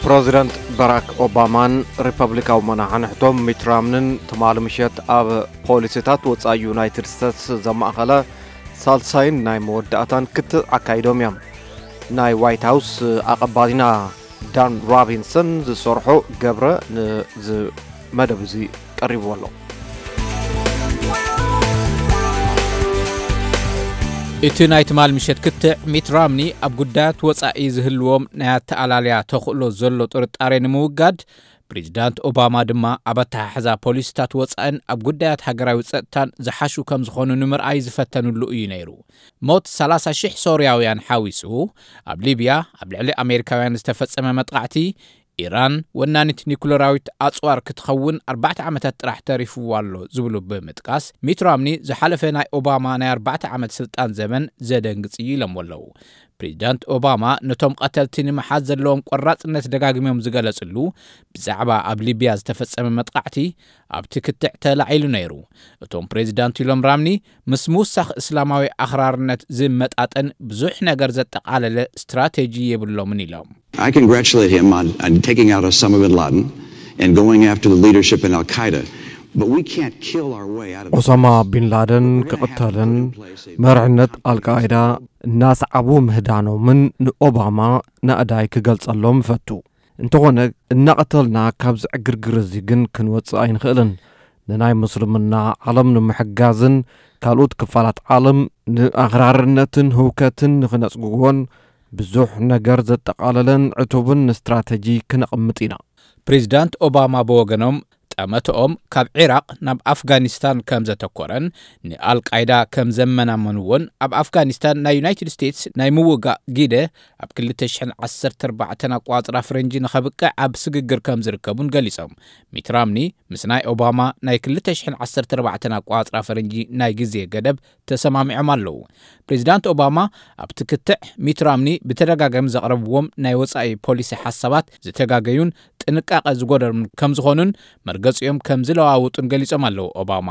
ፕረዚደንት ባራክ ኦባማን ሪፐብሊካዊ መናሕንሕቶም ሚት ራምንን ትማሊ ምሸት ኣብ ፖሊሲታት ወጻኢ ዩናይትድ ስቴትስ ዘማእኸለ ሳልሳይን ናይ መወዳእታን ክትዕ ኣካይዶም እዮም። ናይ ዋይት ሃውስ ኣቐባሊና ዳን ሮቢንሰን ዝሰርሖ ገብረ ንዚ መደብ እዚ ቀሪብዎ ኣሎ። እቲ ናይ ትማል ምሸት ክትዕ፣ ሚት ራምኒ ኣብ ጉዳያት ወጻኢ ዝህልዎም ናይ ኣተኣላልያ ተኽእሎ ዘሎ ጥርጣሬ ንምውጋድ፣ ፕሬዚዳንት ኦባማ ድማ ኣብ ኣተሓሕዛ ፖሊሲታት ወጻእን ኣብ ጉዳያት ሃገራዊ ጸጥታን ዝሓሹ ከም ዝኾኑ ንምርኣይ ዝፈተኑሉ እዩ ነይሩ። ሞት ሰላሳ ሽሕ ሶርያውያን ሓዊሱ፣ ኣብ ሊብያ ኣብ ልዕሊ ኣሜሪካውያን ዝተፈጸመ መጥቓዕቲ፣ ኢራን ወናኒት ኒኩለራዊት ኣጽዋር ክትኸውን ኣርባዕተ ዓመታት ጥራሕ ተሪፍዋ ኣሎ ዝብሉ ብምጥቃስ፣ ሚት ራምኒ ዝሓለፈ ናይ ኦባማ ናይ ኣርባዕተ ዓመት ስልጣን ዘመን ዘደንግጽ እዩ ኢሎምዎ ኣለዉ። ፕሬዚዳንት ኦባማ ነቶም ቀተልቲ ንምሓዝ ዘለዎም ቆራጽነት ደጋጊሞም ዝገለጽሉ፣ ብዛዕባ ኣብ ሊብያ ዝተፈጸመ መጥቓዕቲ ኣብቲ ክትዕ ተላዒሉ ነይሩ። እቶም ፕሬዚዳንት ኢሎም ራምኒ፣ ምስ ምውሳኽ እስላማዊ ኣኽራርነት ዝመጣጠን ብዙሕ ነገር ዘጠቓለለ ስትራቴጂ የብሎምን ኢሎም። I congratulate him on, on taking out Osama bin Laden and going after the leadership in Al Qaeda. But we can't kill our way out of ኦሳማ ቢን ላደን ክቕተልን መርሕነት ኣልቃይዳ እናሰዓቡ ምህዳኖምን ንኦባማ ናእዳይ ክገልጸሎም እፈቱ። እንተኾነ፣ እናቐተልና ካብዚ ዕግርግር እዚ ግን ክንወጽእ ኣይንኽእልን። ንናይ ምስልምና ዓለም ንምሕጋዝን ካልኦት ክፋላት ዓለም ንኣኽራርነትን ህውከትን ንኽነጽግዎን ብዙሕ ነገር ዘጠቓለለን ዕቱብን ስትራተጂ ክነቕምጥ ኢና። ፕሬዚዳንት ኦባማ ብወገኖም፣ ጠመተኦም ካብ ዒራቕ ናብ ኣፍጋኒስታን ከም ዘተኮረን ንኣልቃይዳ ከም ዘመናመንዎን፣ ኣብ ኣፍጋኒስታን ናይ ዩናይትድ ስቴትስ ናይ ምውጋእ ግደ ኣብ ክልተ ሽሕን ዓሰርተ ኣርባዕተን ኣቋጽራ ፈረንጂ ንኸብቅዕ ኣብ ስግግር ከም ዝርከቡን ገሊጾም። ሚት ራምኒ ምስ ናይ ኦባማ ናይ ክልተ ሽሕን ዓሰርተ ኣርባዕተን ኣቋጽራ ፈረንጂ ናይ ግዜ ገደብ ተሰማሚዖም ኣለዉ። ፕሬዚዳንት ኦባማ ኣብቲ ክትዕ፣ ሚት ራምኒ ብተደጋጋሚ ዘቕረብዎም ናይ ወጻኢ ፖሊሲ ሓሳባት ዝተጋገዩን ጥንቃቐ ዝጎደሎም ከም ዝኾኑን መርገጺኦም ከም ዝለዋውጡን ገሊጾም ኣለዉ ኦባማ።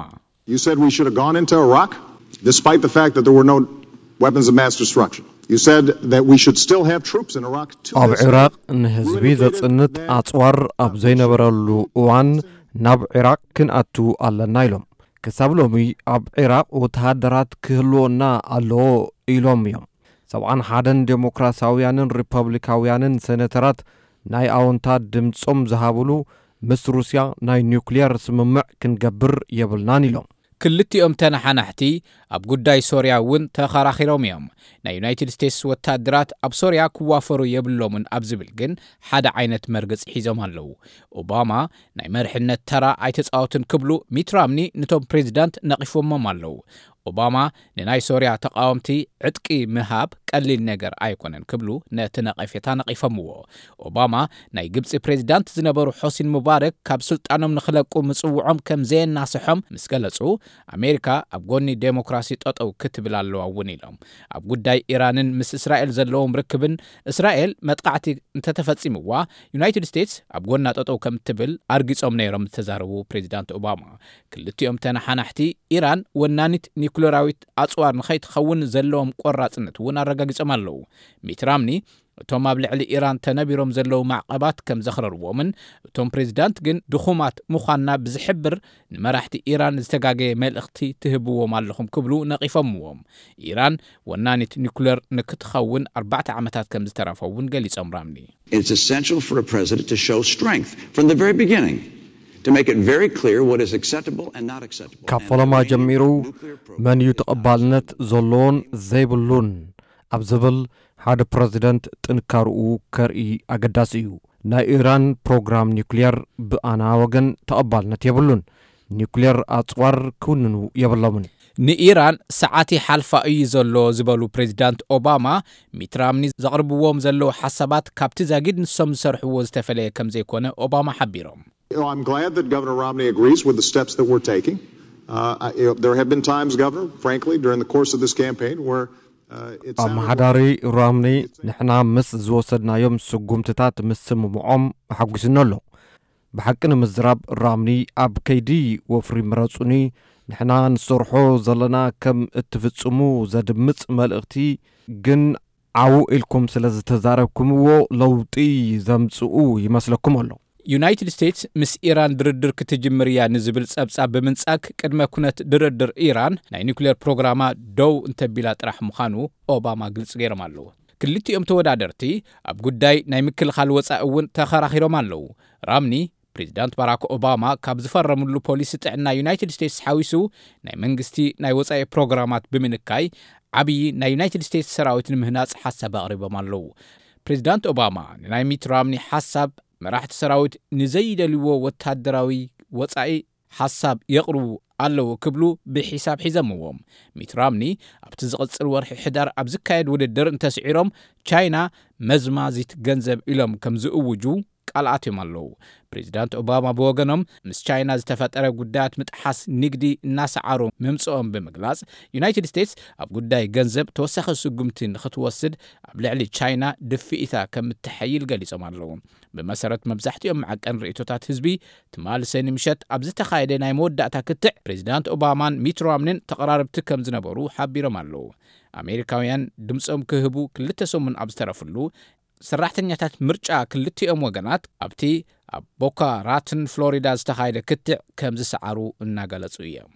You said we should have gone into Iraq, despite the fact that there were no weapons of mass destruction. You said that we should still have troops in Iraq to ኣብ this day. Iraq ንህዝቢ ዘጽንት ኣጽዋር ኣብ ዘይነበረሉ እዋን ናብ ዒራቕ ክንኣቱ ኣለና ኢሎም። ክሳብ ሎሚ ኣብ ዒራቕ ወተሃደራት ክህልወና ኣለዎ ኢሎም እዮም። ሰብዓን ሓደን ዴሞክራሲያውያንን ሪፐብሊካውያንን ሴኔተራት ናይ ኣወንታ ድምጾም ዝሃብሉ፣ ምስ ሩስያ ናይ ኒውክሊየር ስምምዕ ክንገብር የብልናን ኢሎም። ክልቲኦም ተነሓናሕቲ ኣብ ጉዳይ ሶርያ እውን ተኸራኺሮም እዮም። ናይ ዩናይትድ ስቴትስ ወታደራት ኣብ ሶርያ ክዋፈሩ የብሎምን ኣብ ዝብል ግን ሓደ ዓይነት መርገጺ ሒዞም ኣለዉ። ኦባማ ናይ መርሕነት ተራ ኣይተጻወቱን ክብሉ ሚት ራምኒ ነቶም ፕሬዚዳንት ነቒፎሞም ኣለዉ። ኦባማ ንናይ ሶርያ ተቓወምቲ ዕጥቂ ምሃብ ቀሊል ነገር ኣይኮነን ክብሉ ነቲ ነቐፌታ ነቒፎምዎ። ኦባማ ናይ ግብጺ ፕሬዚዳንት ዝነበሩ ሖስኒ ሙባረክ ካብ ስልጣኖም ንኽለቁ ምጽውዖም ከም ዘየናስሖም ምስ ገለጹ፣ ኣሜሪካ ኣብ ጎኒ ዴሞክራሲ ጠጠው ክትብል ኣለዋ እውን ኢሎም። ኣብ ጉዳይ ኢራንን ምስ እስራኤል ዘለዎም ርክብን፣ እስራኤል መጥቃዕቲ እንተተፈጺምዋ፣ ዩናይትድ ስቴትስ ኣብ ጎና ጠጠው ከም እትብል ኣርጊጾም ነይሮም ዝተዛረቡ ፕሬዚዳንት ኦባማ፣ ክልቲኦም ተነሓናሕቲ ኢራን ወናኒት ኒኩለራዊት ኣጽዋር ንኸይትኸውን ዘለዎም ቆራጽነት እውን ኣረጋጊጾም ኣለዉ። ሚት ራምኒ እቶም ኣብ ልዕሊ ኢራን ተነቢሮም ዘለዉ ማዕቐባት ከም ዘኽረርዎምን፣ እቶም ፕሬዚዳንት ግን ድኹማት ምዃንና ብዝሕብር ንመራሕቲ ኢራን ዝተጋገየ መልእኽቲ ትህብዎም ኣለኹም ክብሉ ነቒፎምዎም። ኢራን ወናኒት ኒኩለር ንክትኸውን ኣርባዕተ ዓመታት ከም ዝተረፎ እውን ገሊጾም ራምኒ። It's essential for a president to show strength from the very beginning, to make it very clear what is acceptable and not acceptable. ካብ ፈለማ ጀሚሩ መን እዩ ተቐባልነት ዘለዎን ዘይብሉን ኣብ ዝብል ሓደ ፕረዚደንት ጥንካርኡ ከርኢ ኣገዳሲ እዩ። ናይ ኢራን ፕሮግራም ኒውክልየር ብኣና ወገን ተቐባልነት የብሉን። ኒውክልየር ኣጽዋር ክውንኑ የብሎምን። ንኢራን ሰዓት ይሓልፋ እዩ ዘሎ ዝበሉ ፕሬዚዳንት ኦባማ፣ ሚት ራምኒ ዘቕርብዎም ዘለዉ ሓሳባት ካብቲ ዛጊድ ንሶም ዝሰርሕዎ ዝተፈለየ ከም ዘይኮነ ኦባማ ሓቢሮም። You know, I'm glad that Governor Romney agrees with the steps that we're taking. Uh, I, you know, there have been times, Governor, frankly, during the course of this campaign where uh, it sounded like ኣመሓዳሪ ራምኒ ንሕና ምስ ዝወሰድናዮም ስጉምትታት ምስምምዖም ኣሐጒስኒ ኣሎ። ብሓቂ ንምዝራብ ራምኒ ኣብ ከይዲ ወፍሪ ምረጹኒ ንሕና ንሰርሖ ዘለና ከም እትፍጽሙ ዘድምጽ መልእኽቲ ግን ዓው ኢልኩም ስለ ዝተዛረብኩምዎ ለውጢ ዘምጽኡ ይመስለኩም ኣሎ። ዩናይትድ ስቴትስ ምስ ኢራን ድርድር ክትጅምር እያ ንዝብል ጸብጻብ ብምንጻግ ቅድመ ኩነት ድርድር ኢራን ናይ ኒውክሌር ፕሮግራማ ደው እንተቢላ ጥራሕ ምዃኑ ኦባማ ግልጽ ገይሮም ኣለዉ። ክልቲኦም ተወዳደርቲ ኣብ ጉዳይ ናይ ምክልኻል ወጻኢ እውን ተኸራኺሮም ኣለዉ። ራምኒ ፕሬዚዳንት ባራክ ኦባማ ካብ ዝፈረምሉ ፖሊሲ ጥዕና ዩናይትድ ስቴትስ ሓዊሱ ናይ መንግስቲ ናይ ወጻኢ ፕሮግራማት ብምንካይ ዓብዪ ናይ ዩናይትድ ስቴትስ ሰራዊት ንምህናጽ ሓሳብ ኣቕሪቦም ኣለዉ። ፕሬዚዳንት ኦባማ ንናይ ሚት ራምኒ ሓሳብ መራሕቲ ሰራዊት ንዘይደልይዎ ወታደራዊ ወጻኢ ሓሳብ የቕርቡ ኣለዉ ክብሉ ብሒሳብ ሒዘምዎም። ሚት ራምኒ ኣብቲ ዝቕጽል ወርሒ ሕዳር ኣብ ዝካየድ ውድድር እንተስዒሮም ቻይና መዝማዚት ገንዘብ ኢሎም ከም ዝእውጁ ቃል ኣትዮም ኣለዉ። ፕሬዚዳንት ኦባማ ብወገኖም ምስ ቻይና ዝተፈጠረ ጉዳያት ምጥሓስ ንግዲ እናሰዓሩ ምምጽኦም ብምግላጽ ዩናይትድ ስቴትስ ኣብ ጉዳይ ገንዘብ ተወሳኺ ስጉምቲ ንክትወስድ ኣብ ልዕሊ ቻይና ድፍኢታ ከም እትሐይል ገሊጾም ኣለዉ። ብመሰረት መብዛሕትኦም መዓቀን ርእይቶታት ህዝቢ ትማሊ ሰኒ ምሸት ኣብ ዝተኻየደ ናይ መወዳእታ ክትዕ ፕሬዚዳንት ኦባማን ሚት ራምኒን ተቐራረብቲ ከም ዝነበሩ ሓቢሮም ኣለዉ። ኣሜሪካውያን ድምጾም ክህቡ ክልተ ሰሙን ኣብ ዝተረፍሉ ሰራሕተኛታት ምርጫ ክልቲኦም ወገናት ኣብቲ ኣብ ቦካ ራትን ፍሎሪዳ ዝተኻየደ ክትዕ ከም ዝሰዓሩ እናገለጹ እዮም።